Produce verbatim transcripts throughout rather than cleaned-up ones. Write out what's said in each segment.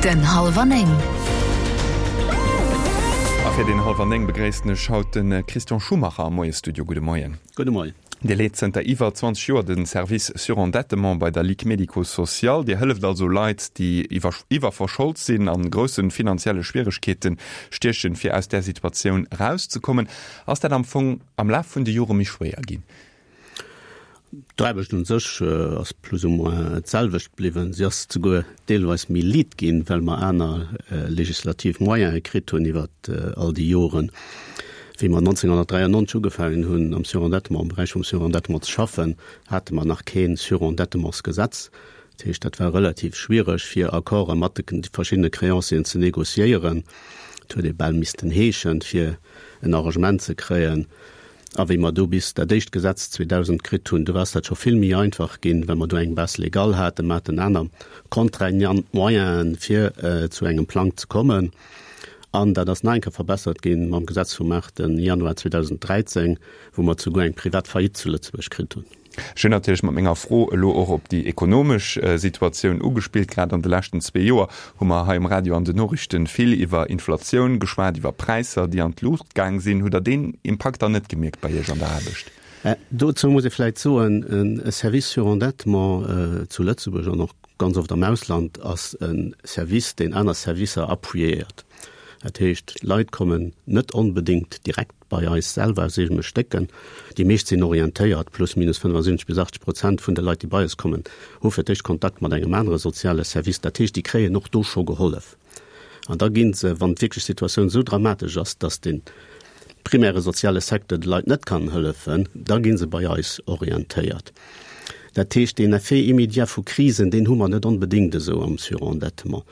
Den Hallwer Néng. A fir den Hallwer Néng begréissen ech haut de Christian Schumacher am Moie-Studio. Gudde Moien. Gudde Moien. Dir leet zënter iwwer zwanzeg Joer de Service Surendettement bei der Ligue Médico-Sociale. Dir hëlleft also Leit, déi iwwerverschold sinn, a grousse finanzielle Schwieregkeete stiechen, fir aus där Situatioun erauszekommen. Ass dat am Fong am Laf vun de Jore méi schwéier ginn? D'Aarbecht un sech ass plus ou moins d'selwecht bliwwen. Si ass souguer deelweis méi liit ginn, well mer aner legislativ Moyene kritt hunn iwwer all déi Joren. Wéi mer neunzehnhundertdräiundneunzeg ugefaangen hunn, am Surendettement, am Beräich vum Surendettement ze schaffen, hate mer nach kee Surendettementsgesetz. Dat heescht, dat war relativ schwiereg, fir Accorde mat de verschiddene Créancieren ze négociéieren. Et huet ee bal missten heeschen, fir en Arrangement ze kréien. A wéi mer du bis dat éischt Gesetz zweedausend kritt hunn, du ass dat scho vill méi einfach ginn, well mer du eng Base légale haten, mer haten aner contraignant Moyenen, fir zu engem Plang ze kommen. An dat ass nach eng Kéier verbessert ginn mam Gesetz vum aachte Januar zweedausend dräizéng, wou mer souguer eng privat Faillite zu Lëtzebuerg kritt hunn. Ech hunn natierlech mat menger Fro elo och op déi ekonomesch Situatioun ugespillt. Grad an de leschten zwee Joer hu mer hei um Radio an den Noriichten vill iwwer Inflatioun geschwat, iwwer Präisser, déi an d'Luucht gaang sinn. Hutt Der deen Impakt dann net gemierkt bei Iech an der Aarbecht? Dozou muss ee vläicht soen, e Service surendettement zu Lëtzebuerg an och ganz oft am Ausland ass e Service, deen aner Servicer appuyéiert. Dat heescht, d'Leit kommen net onbedéngt direkt bei eis selwer aus eegene Stécken. Déi meescht sinn orientéiert, plus minus fënnefasiwwenzeg bis achtzeg Prozent vun de Leit, déi bei eis kommen, hu fir d'éischt Kontakt mat engem anere soziale Service. Dat heescht, déi kréien och do scho gehollef. An da gi se, wann wierklech d'Situatioun esou dramatesch ass, dass de primäre soziale Secteur de Leit net kann hëllefen, da gi se bei eis orientéiert. Dat heescht, deen Effet immédiat vu Krisen, deen hu mer net onbedéngt esou am Surendettement.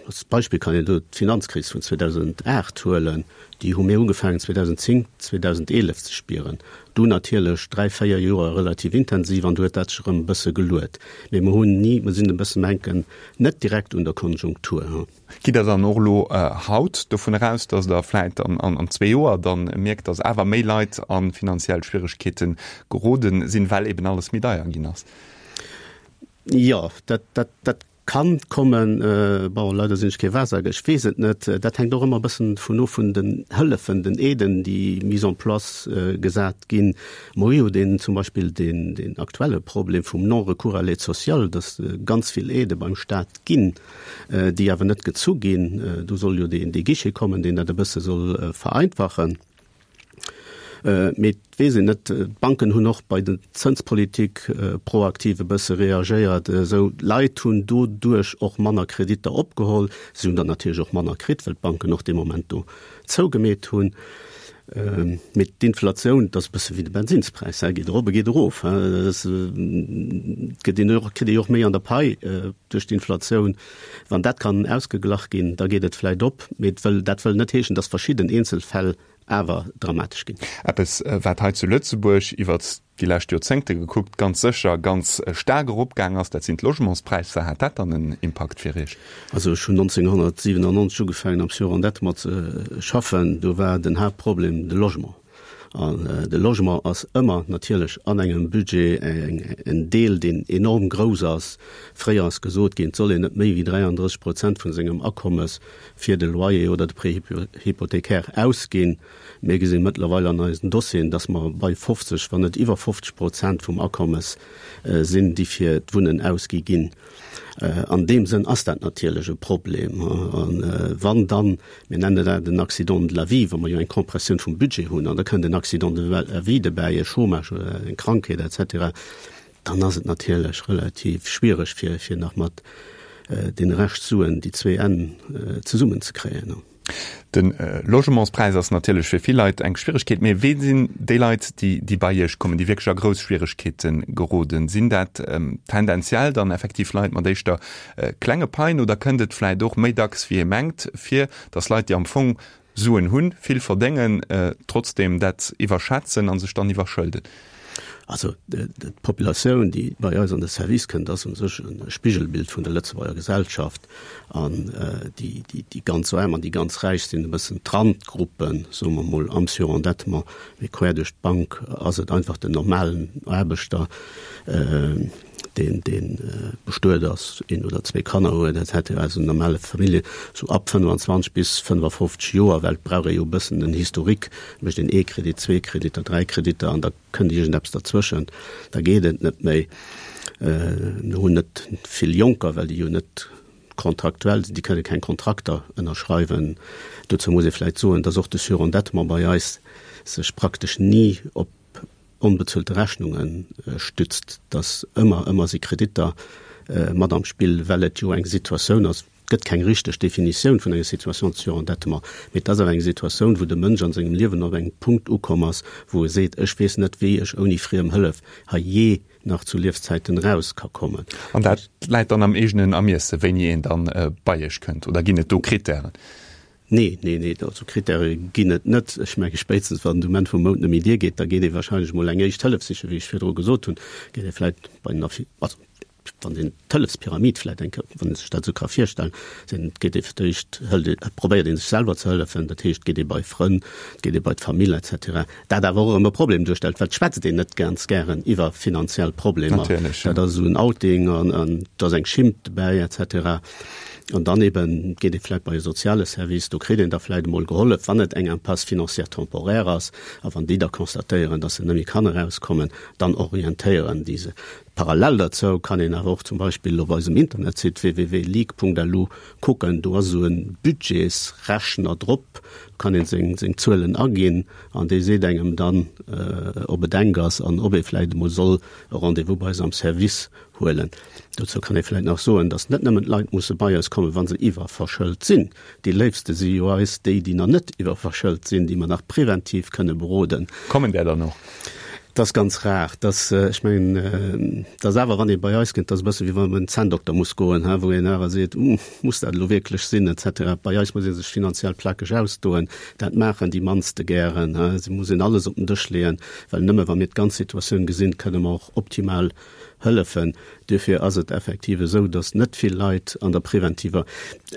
Als Beispill kann een do d'Finanzkris vun zweedausendaacht huelen, déi hu mir ugefaangen zweedausendzéng, zweedausendeenef ze spieren. Du natierlech dräi, véier Joer relativ intensiv an du huet dat sech erëm e bësse geluet. Mee mer hunn ni, mer sinn e bëssen, mer hänken net direkt un der Konjunktur. Gitt Der dann och elo haut dovun eraus, datt Der vläit an zwee Joer dann mierkt, datt awer méi Leit a finanziell Schwieregkeete geroden sinn, well eben alles méi deier ginn ass? Jo, dat, dat, dat kann kommen. Bon, leider sinn ech kee Wahrsager, ech weess et net. Dat hänkt och ëmmer e bëssen vun of vun den Hëllefen, den Aiden, déi mise en place gesat ginn. Mer hu jo deen, zum Beispill deen, deen aktuelle Problem vum Non-recours à l'aide sociale, dass ganz vill Aidë beim Stat ginn, déi awer net gezu ginn. Do soll jo deen, dee Guichet kommen, deen dat e bësse soll vereinfachen. Mee et weess een net. D'Banken hunn och bei der Zënspolitik proaktiv e bësse reagéiert. Esou Leit hunn doduerch och manner Kreditter opgeholl. Si hunn der natierlech och manner kritt, well d'Banken och dee Moment do zougemeet hunn. Mee d'Inflatioun, dat ass e bësse wéi de Bensinnspräis, geet erop a geet erof. Et gëtt een och, kritt ee jo och méi an der Pai duerch d'Inflatioun. Wann dat kann ausgeglach ginn, da geet et vläicht op. Mee et wëll, dat wëll net heeschen, datt verschidden Eenzelfäll awer dramatesch ginn. Eppes, wat hei zu Lëtzebuerg iwwert déi lescht Joerzéngte gekuckt ganz sécher ganz staark eropgaang ass, dat sinn d'Logementspräisser. Hat dat dann en Impakt fir Iech? Also ech hunn neunzehnhundertsiebenundneunzeg ugefaangen am Surendettement ze schaffen, do war den Haaptproblem de Logement. An de Logement ass ëmmer natierlech an engem Budget en Deel, deen enorm grouss ass. Fréier ass gesot ginn, et soll een net méi wéi dräiandrësseg Prozent vun sengem Akommes fir de Loyer oder de Prêt hypothécaire ausginn. Mir gesinn mëttlerweil an eisen Dossieren, dass mer bei fofzeg, wann net iwwer fofzeg Prozent vum Akommes sinn, déi fir d'Wunnen ausgi ginn. An deem Sënn ass dat natierlech e Problem. A wann dann, mir nennen dat en Accident de la vie, wa mer jo eng Kompressioun vum Budget hunn an da kënnt en Accident de la vie dobäi, e Chômage oder eng Krankheet et cetera, dann ass et natierlech relativ schwiereg, fir, fir nach mat deene Rescht Suen déi zwee Enn zesummenzekréien. De Logementspräis ass natierlech fir vill Leit eng Schwieregkeet. Mee wee sinn déi Leit, déi déi bei Iech kommen, déi wierklech a grouss Schwieregkeete geroden? Sinn dat tendenziell dann effektiv Leit mat éischter klenge Paien oder kënnt et vläicht och méi dacks wéi ee mengt vir, datt Leit, déi am Fong Suen hunn, vill verdéngen, trotzdeem dat iwwerschätzen a sech dann iwwerschëlden? Also d'Populatioun, déi bei eis an de Service kënnt, ass u sech e Spigelbild vun der Lëtzebuerger Gesellschaft. An déi, déi, déi ganz Aarm an déi ganz Räich sinn e bëssen d'Randgruppen, soe mer mol, am Surendettement. Mee quer duerch d'Bank ass et einfach den normalen Aarbechter, deen, deen bestuet ass, een oder zwee Kanner huet et cetera, also normale Famillje, sou ab fënnwanzwanzeg bis fënnafofzeg Joer, well et brauch ee jo e bëssen en Historique, mécht een ee Kredit, zwee Kreditter, dräi Kreditter an da kënnt iergendeppes derzwëschent, da geet et net méi. Mir hunn net vill Jonker, well déi jo net kontraktuell sinn, déi kënne keng Kontrakter ënnerschreiwen. Dozou muss ee vläicht soen, dass och de Surendettement bei eis sech praktesch ni op onbezuelte Rechnunge stützt, dass ëmmer, ëmmer si Kreditter mat am Spill, well et jo eng Situatioun ass, et gëtt keng richteg Definitioun vun enger Situation de surendettement, mee et ass awer eng Situatioun, wou de Mënsch an sengem Liewen op engem Punkt ukomm ass, wou e seet, ech weess net, wéi ech ouni friem Hëllef hei jee nach zu Liefzäiten eraus ka kommen. An dat läit dann am eegenen Ermiesse, wéini een dann bei Iech kënnt, oder ginn et do Krittären? Nee, nee, nee, also Krittäre ginn et net. Ech menge spéitstens wann de Moment vum Mount net méi diergeet, da geet ee wahrscheinlech emol eng éischt Hëllef sichen, wéi ech virdru gesot hunn, geet ee vläicht bei den Affi, also wann een d'Hëllefspyramid vläicht eng Kéier, wann ee sech dat esou ka virstellen, sinn, geet ee fir d'éischt, hëlt ee, probéiert ee sech selwer ze hëllefen, dat heescht, geet ee bei Frënn, geet ee bei d'Famill et cetera. Dat awer och erëm e Problem duerstellt, well et schwätzt een net ganz gären iwwer finanziell Problemer. Natierlech, Dat ass esou en Outing an, an do ass eng Schimmt dobäi et cetera. An dann eben geet ee vläicht bei e soziale Service, do kritt een da vläicht emol gehollef, wann et eng Impasse financière temporaire ass. A wann déi da constatéieren, dass se net méi kann erauskommen, dann orientéieren déi se. Parallel derzou kann een awer och zum Beispill op eisem Internetsite www.ligue.lu kucken, do ass esou e Budgetsrechner drop, do kann ee seng seng Zuelen aginn an dee seet engem dann, ob et enk ass an ob ee vläicht emol soll e Rendez-vous bei eis am Service huelen. Dozou kann ee vläicht nach soen, datt net nëmmen d'Leit musse bei eis kommen, wa se iwwerverschëlt sinn. Déi léifste si jo eis déi, déi nach net iwwerverschëlt sinn, déi mer nach preventiv kënne beroden. Kommen där dann och? Dat ass ganz rar. Dat, ech mengen, dat ass awer, wann ee bei eis kënnt, dat ass e bësse wéi wann een bei en Zänndokter muss goen, wou een awer seet, Muss dat elo wierklech sinn? et cetera. Bei eis muss ee sech finanziell plakeg ausdoen. Dat maachen déi mannste gären. Se muss een alles op den Dësch leeën, well nëmme wa mir d'ganz Situatioun gesinn, kënne mer och optimal hëllefen. Duerfir ass et effektiv esou, datt net vill Leit an der preventiver,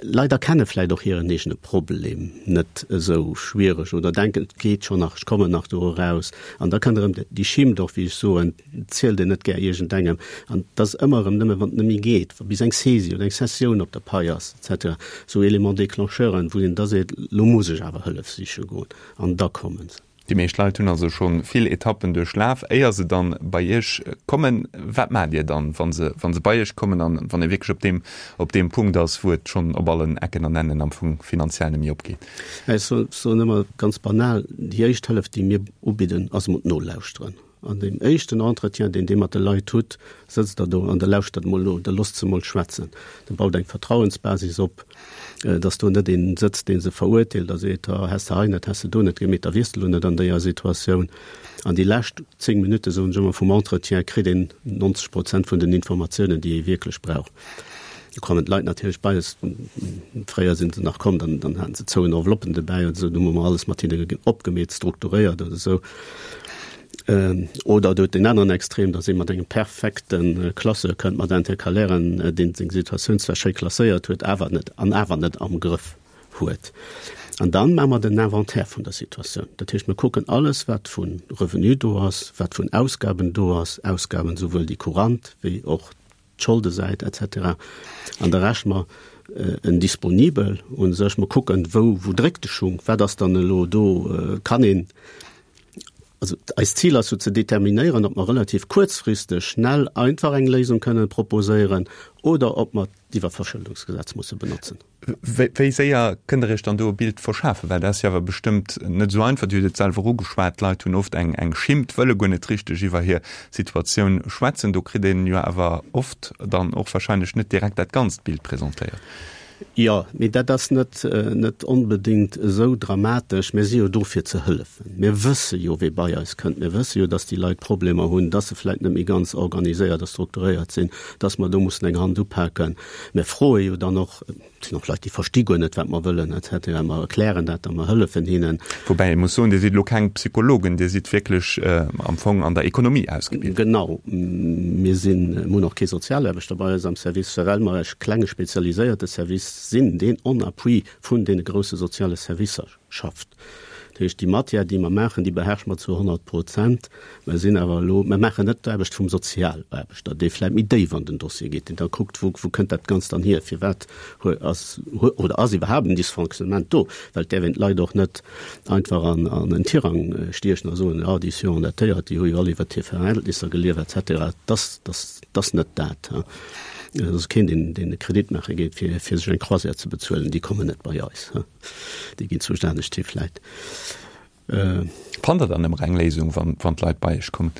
Leit erkenne vläicht och hiren eegene Problem net esou schwiereg oder denken, et geet schonn nach, ech kommen nach do eraus. An da kënnt erëm déi Schimmt och, wéi ech soen, et zielt een net gär iergendengem. An et ass ëmmer erëm nëmme, wann et net méi geet, wa bis eng Saisie oder eng Cessioun op der Pai ass et cetera, esou Éléments déclencheuren, wou een da seet, elo muss ech awer Hëllef siche goen. An da komme se. Déi meescht Leit hunn also scho vill Etappen duerchlaf, éier se dann bei Iech kommen. Wat maacht Dir dann, wa se, wa se bei Iech kommen an wann ee wierklech op deem, op deem Punkt ass, wou et schonn op allen Ecken an Ennen am Fong finanziell net méi opgeet? Ech soen ëmmer ganz banal, déi éischt Hëllef, déi mir ubidden, ass emol d'Nolauschteren. An deem éischten Entretien, deen Dir mat de Leit hutt, sëtzt Der do an Der lauschtert emol no, Der loosst se emol schwätzen. Der baut eng Vertrauensbasis op, dass do net een sëtzt, dee se verurteelt a seet, Ha, häss de hei net, häss de do net gemeet, da wiers de elo net an déier Situatioun. An déi lescht zéng Minutte, soen ech ëmmer, vum Entretien kritt een nonzeg Prozent vun den Informatiounen, déi ee wierklech brauch. Do kommen d'Leit natierlech bei eis, fréier sinn se nach komm, dann dann haten se zouen Enveloppen dobäi oder esou, du hu mer alles mat hinne opgemeet, strukturéiert oder esou. Oder et huet deen aneren Extrem, datt ee mat engem perfekte Classeur kënnt, mat Intercalairen, deen seng Situatioun zwar schéi klasséiert huet, awer net an awer net am Grëff huet. An dann maache mer den Inventaire vun der Situatioun. Dat heescht, mir kucken alles, wat vu Revenu do ass, wat vun Ausgaben do ass, Ausgaben souwuel déi courant wéi och d'Scholdesäit et cetera. An da rechne mer en Disponibel u sech. Mer kucken, wou, wou dréckt de Schung, wat ass dann elo do, kann een, also eist Zil ass jo ze determinéieren, ob mer relativ kuerzfristeg, schnell, einfach eng Léisung kënnen proposéieren oder ob mer d'Iwwerverschëldungsgesetz musse benotzen. Wéi séier kënnt Der Iech dann do e Bild verschafen? Well dat ass jo awer bestëmmt net esou einfach. Dir hutt et selwer ugeschwat, d'Leit hunn oft eng eng Schimmt, wëlle guer net richteg iwwer hir Situatioun schwätzen. Do kritt een jo awer oft dann och wahrscheinlech net direkt dat ganzt Bild presentéiert. Jo, mee dat ass net net onbedéngt esou dramatesch. Mir si jo do fir ze hëllefen. Mir wësse jo, wee bei eis kënnt. Mir wësse jo, dass déi Leit Problemer hunn, dass se vläicht net méi ganz organiséiert a strukturéiert sinn, dass mer do mussen eng Hand upaken. Mir froe jo dann och, et sinn och Leit, déi versti guer net, wat mer wëllen et cetera. Mer erklären dat a mer hëllefen hinnen. Woubäi ee muss soen, Dir sidd elo keng Psychologen, Dir sidd wierklech am Fong an der Ekonomie ausgebilt. Genau, mir sinn, mir hunn och kee Sozialaarbechter bei eis am Service, well mer e klenge spezialiséierte Service sinn, deen en appui vun deene grousse soziale Servicer schafft. Dat heescht, déi Matière, déi mer maachen, déi beherrsche mer zu honnert Prozent. Mer sinn awer elo, mer maachen net d'Aarbecht vum Sozialaarbechter, dee vläicht méi déif an den Dossier geet, deen da kuckt, wou, wou kënnt dat Ganzt dann hier, firwat ass oder ass iwwerhaapt en Dysfonctionnement do, well et däerf een d'Leit och net einfach an, an en Tirang stiechen a soen, ah, déi Surendettéiert, déi hu jo all iwwert hir Verhältnisser gelieft et cetera. Dass, dass, dass net dat. Et ass keen, deen, deen e Kredit maache geet, fir, fir sech eng Croisière ze bezuelen. Déi kommen net bei eis. Déi ginn zu anescht hi vläit. Fannt Der dann ëmmer eng Léisung, wann, wann d'Leit bei Iech kommen?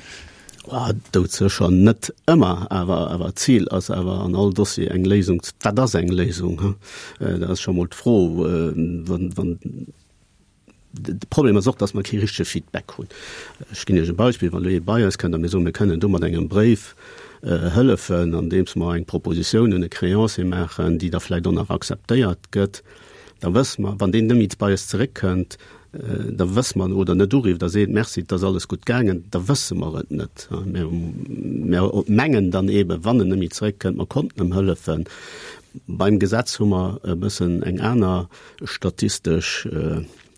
Oh, doudsécher net ëmmer, awer, awer d'Zil ass awer an all Dossier eng Léisung. Wat ass eng Léisung? Dat ass scho mol d'Fro. Wann, wann De Problem ass och, dass mer kee richtege Feedback hunn. Ech ginn Iech e Beispill, Wann elo ee bei eis kënnt a mir soen, mir kënnen do mat engem Bréif hëllefen, andeems mer eng Propositioun un e Créancier maachen, déi da vläicht och nach akzeptéiert gëtt, da wësse mer, wann deen net méi bei eis zeréckkënnt, da wësse mer, oder net urifft a seet, Merci, et ass alles gutt gaangen, da wësse mer et net. Mir, mir mengen dann eeben, wann en net méi zeréckkënnt, mer konnten em hëllefen. Beim Gesetz hu mer e bëssen eng aner statistesch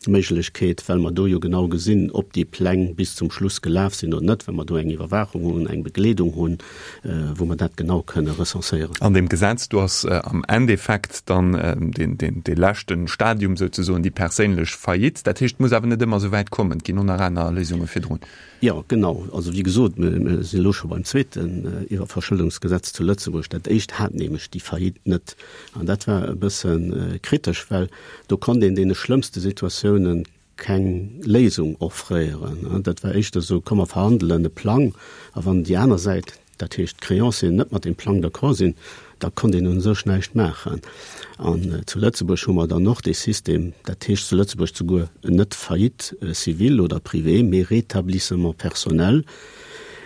Méiglechkeet, well mer do jo genau gesinn, ob déi Pläng bis zum Schluss gelaf sinn oder net, well mer do eng Iwwerwaachung hunn, eng Begleedung hunn, wou mer dat genau kënne recenséieren. An deem Gesetz do ass am Endeffekt dann deen, deen, dee leschte Stadium souzesoen déi perséinlech Faillite. Dat heescht, et muss awer net ëmmer esou wäit kommen, et ginn och nach aner Léisunge virdrun. Jo, genau. Also wéi gesot, mir sinn elo scho beim zweeten Iwwerverschëldungsgesetz zu Lëtzebuerg. Dat éischt hat nämlech déi Faillite net. An dat war e bësse kritesch, well do konnt een deene schlëmmste Situatiounen keng Léisung offréieren. Dat war éischter esou, komm mer verhandelen e Plang, a wann déi aner Säit, dat heescht d'Créancieren, net mat deem Plang d'accord sinn, da konnt een u sech näischt maachen. An zu Lëtzebuerg hu mer dann och dee System, dat heescht zu Lëtzebuerg souguer net Faillite civile oder privée, mee Rétablissement personnel,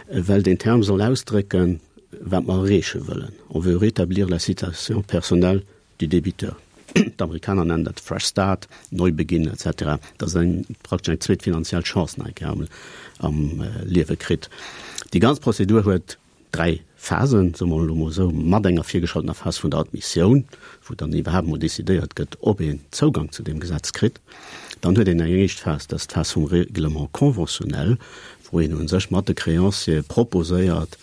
well deen Term soll ausdrécken, wat mer erreeche wëllen, On veut rétablir la situation personnelle du débiteur. D'Amerikaner nennen dat Fresh Start, Neubeginn et cetera. Dat ass eng praktesch eng zweet finanziell Chance nach eng Kéier am Liewe kritt. Déi ganz Prozedur huet dräi Phasen, soe mer elo mol esou, mat enger virgeschaltener Phas vun der Admissioun, wou dann iwwerhaapt emol decidéiert gëtt, ob een Zougang zu deem Gesetz kritt. Dann huet een eng éischt Phas, dat ass d'Phas vum Règlement conventionnel, wou een u sech mat de Créanciere proposéiert,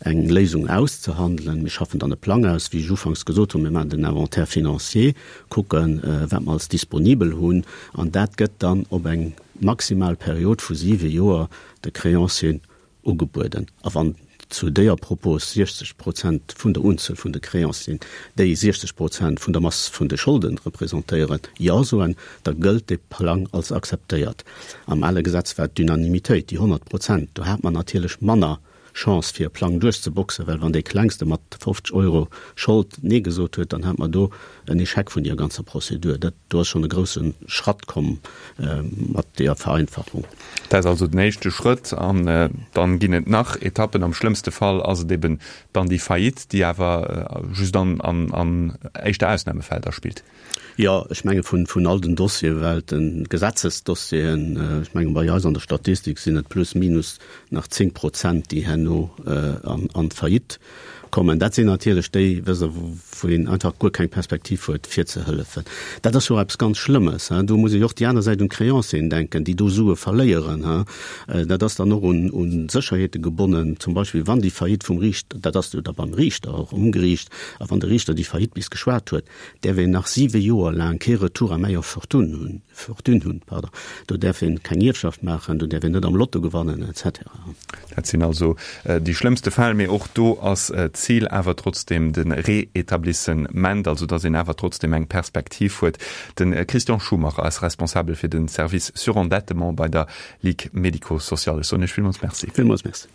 eng Léisung auszehandelen. Mir schaffen dann e Plang aus, wéi ech ufanks gesot hunn, mir maachen den Inventaire financier, kucken, wat mer als disponibel hunn, an dat gëtt dann op eng maximal Period vu siwe Joer de Créancieren ugebueden. A wann zu déier Propos siechzeg Prozent vun der Unzuel vun de Créancieren, déi siechzeg Prozent vun der Mass vun de Scholden representéieren, Jo soen, da gëllt dee Plang als akzeptéiert. Am ale Gesetz war et d'Unanimitéit, déi honnert Prozent. Do hat mer natierlech manner Chance fir e Plang duerchzeboxen, well wann dee Klengste mat fofzeg Euro Schold Nee gesot huet, dann hat mer do en Échec vun deer ganzer Prozedur. Dat do ass schonn e grousse Schratt komm mat deer Vereinfachung. Dat ass also den éischte Schrëtt. An dann ginn et nach Etappen. Am schlëmmste Fall ass et eben dann déi Faillite, déi awer just an an éischter Ausnahmefäll da spillt. Jo, ech menge vun vun all den Dossieren, well de Gesetzesdossieren, ech menge bei eis an der Statistik sinn et plus minus nach zéng Prozent, déi herno an an d'Faillite kommen. Dat sinn natierlech déi, wësst Der, wou een einfach guer keng Perspektiv huet, fir ze hëllefen. Dat ass jo och eppes ganz Schlëmmes. Do muss ee jo och déi aner Säit un d'Créancieren denken, déi do Sue verléieren. Dat ass dann och un un Sécherheete gebonnen, zum Beispill wann déi Faillite vum Riichter, dat ass jo da beim Riichter, och um Geriicht, a wann de Riichter déi Faillite bis geschwat huet, däerf een nach siwe Joer laang kee Retour à meilleure fortune hunn, fortune hunn, pardon. Do däerf een keng Ierfschaft maachen, do däerf een net am Lotto gewannen, et cetera. Dat sinn also déi schlëmmste Fäll, mee och do ass d'Zil awer trotzdeem de Réétablissement, also datt een awer trotzdeem eng Perspektiv huet. De Christian Schumacher ass Responsabel fir de Service Surendettement bei der Ligue médico-sociale. Ech soen Iech villmools Merci. Villmools Merci.